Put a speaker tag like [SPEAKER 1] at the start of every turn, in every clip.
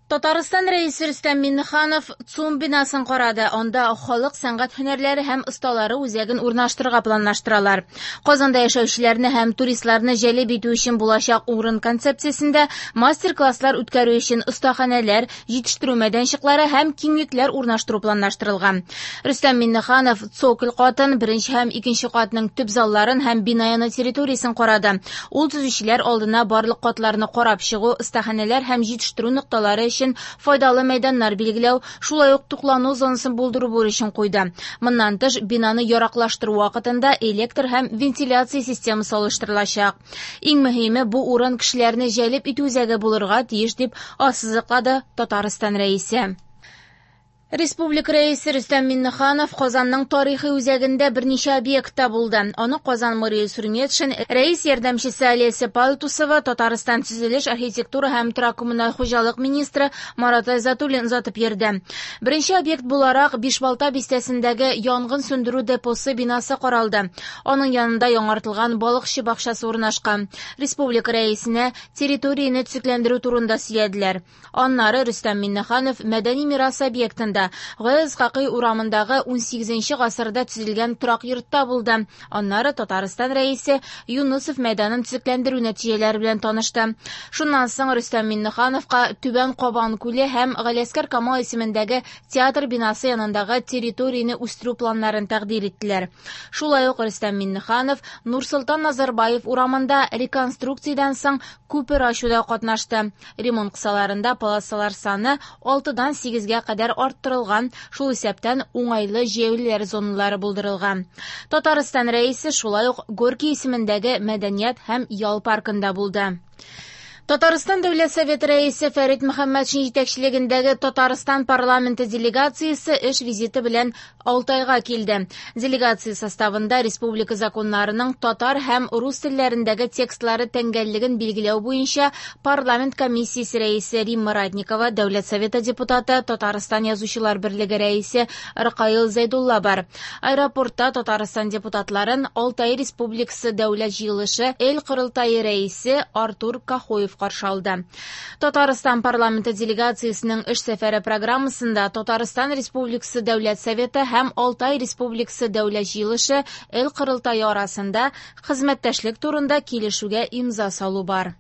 [SPEAKER 1] Татарстан Рәисе Рөстәм Миңнеханов ЦУМ бинасын карады. Анда халык сәнгать һөнәрләре һәм осталары үзәген урнаштырырга планлаштыралар. Казанда яшәүчеләрне һәм туристларны җәлеп итү өчен булачак урын концепциясендә мастер-класслар үткәрү өчен остаханәләр, җитештерү мәйданчыклары һәм киңлекләр урнаштыру планлаштырылган. Рөстәм Миңнеханов цоколь катын, беренче һәм икенче катның төп залларын һәм бина яны территориясен карады. Ул төзүчеләр алдына барлык катларны карап чыгу, остаханәләр һәм җитештерү нокталары өчен файдалы мәйданнар билгеләү, шулай ук туклану зонасын булдыру бурычын куйды. Моннан тыш, бинаны яраклаштыру вакытында электр һәм вентиляция системасы алыштырылачак. Иң мөһиме, бу урын кешеләрне җәлеп итү үзәге булырга тиеш, дип ассызыклады Татарстан Рәисе. Республика Рәисе Рөстәм Миңнеханов Казанның тарихи үзәгендә берничә объектта булды. Аны Казан мэры Илсур Метшин, рәис ярдәмчесе Олеся Палтусова, Татарстан төзелеш, архитектура һәм торак-коммуналь хуҗалык министры Марат Айзатуллин озатып йөрде. Беренче объект буларак Бишбалта бистәсендәге янгын сүндерү депосы бинасы каралды. Аның янында яңартылган балыкчы бакчасы урнашкан. Республика Рәисенә территорияне төзекләндерү турында сөйләделәр. Аннары Рөстәм Миңнеханов мәдәни мирас объектында Гаяз Исхакый урамындагы 18 гасырда төзелгән торак йортта булды. Аннары Татарстан Рәисе Юнысов мәйданын төзекләндерү нәтиҗәләре белән танышты. Шуннан соң Рөстәм Миңнехановка Түбән Кабан күле һәм Галиәсгар Камал исемендәге театр бинасы янындагы территорияне үстерү планнарын тәкъдир иттеләр. Шулай ук Рөстәм Миңнеханов Нурсолтан Назарбаев урамында реконструкциядән соң күпер ачуда катнашты. Ремонт кысаларында полосалар саны 6-дан 8-гә кадәр арттырылган, шул исәптән уңайлы җәяүлеләр зоналары булдырылган. Татарстан Рәисе шулай ук Горький исемендәге мәдәният һәм ял паркында булды. Татарстан Дәүләт Советы Рәисе Фәрит Мөхәммәтшин җитәкчелегендәге Татарстан парламенты делегациясе эш визиты белән Алтайга килде. Делегация составында республика законнарының татар һәм рус телләрендәге текстлары тәңгәллеген билгеләү буенча парламент комиссиясе рәисе Римма Ратникова, Дәүләт Советы депутаты, Татарстан Язучылар берлеге рәисе Ркаил Зәйдулла бар. Аэропортта Татарстан депутатларын Алтай Республикасы Дәүләт җыелышы Эл Корылтае рәисе Артур Кахоев каршы алды. Татарстан парламенты делегациясенең эш сәфәре программасында Татарстан Республикасы Дәүләт Советы һәм Алтай Республикасы Дәүләт җыелышы Эл Корылтае арасында хезмәттәшлек турында килешүгә имза салу бар.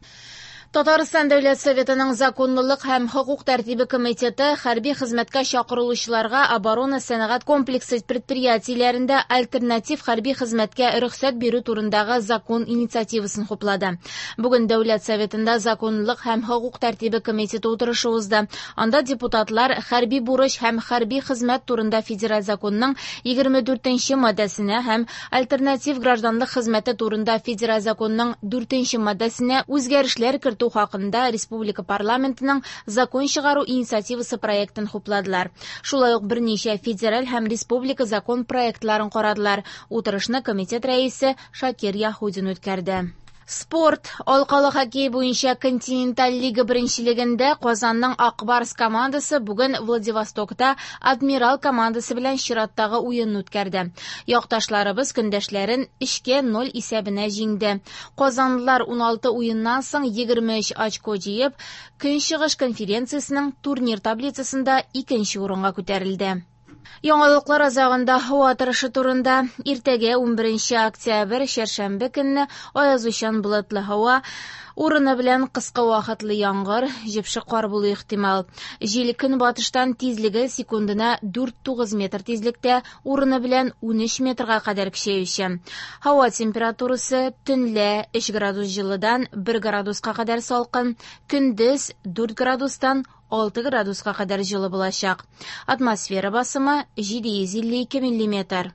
[SPEAKER 1] Татарстан Дәүләт Советының законлылык һәм хокук тәртибе комитеты хәрби хезмәткә чакырылучыларга оборона сәнәгать комплексы предприятиеләрендә альтернатив хәрби хезмәткә рөхсәт бирү турындагы закон инициативасын хуплады. Бүген Дәүләт Советында законлылык һәм хокук тәртибе комитеты утырышы узды. Анда депутатлар хәрби бурыч һәм хәрби хезмәт турында федераль законның 24 маддәсенә һәм альтернатив гражданлык хезмәте турында федераль законның 4 маддәсенә үзгәрешләр кертү хакында республика парламентының закон чыгару инициативасы проектын хупладылар. Шулай ук берничә федераль һәм республика закон проектларын карадылар. Утырышны комитет рәисе Шакир Яһудин үткәрде. Спорт. Алкалы хоккей буенча континенталь лига беренчелегендә Казанның Ак Барс командасы бүген Владивостокта Адмирал командасы белән чираттагы уенны үткәрде. Якташларыбыз көндәшләрен 3-0 исәбенә җиңде. Казанлылар 16 уеннан соң 23 очко җыеп, Көнчыгыш конференциясенең турнир таблицасында икенче урынга күтәрелде. Яңалыклар азагында һава торышы турында. Иртәгә 11 октябрь, чәршәмбе көнне аязучан болытлы һава, урыны белән кыска вакытлы яңгыр, җепшек кар булу ихтимал. Җил көнбатыштан тизлеге секундына 4-9 метр тизлектә, урыны белән 13 метрга кадәр көчәюче. Һава температурасы төнлә 3 градус җылыдан 1 градуска кадәр салкын, көндез 4 градустан 6 градуска кадәр җылы булачак. Атмосфера басымы 752 миллиметр.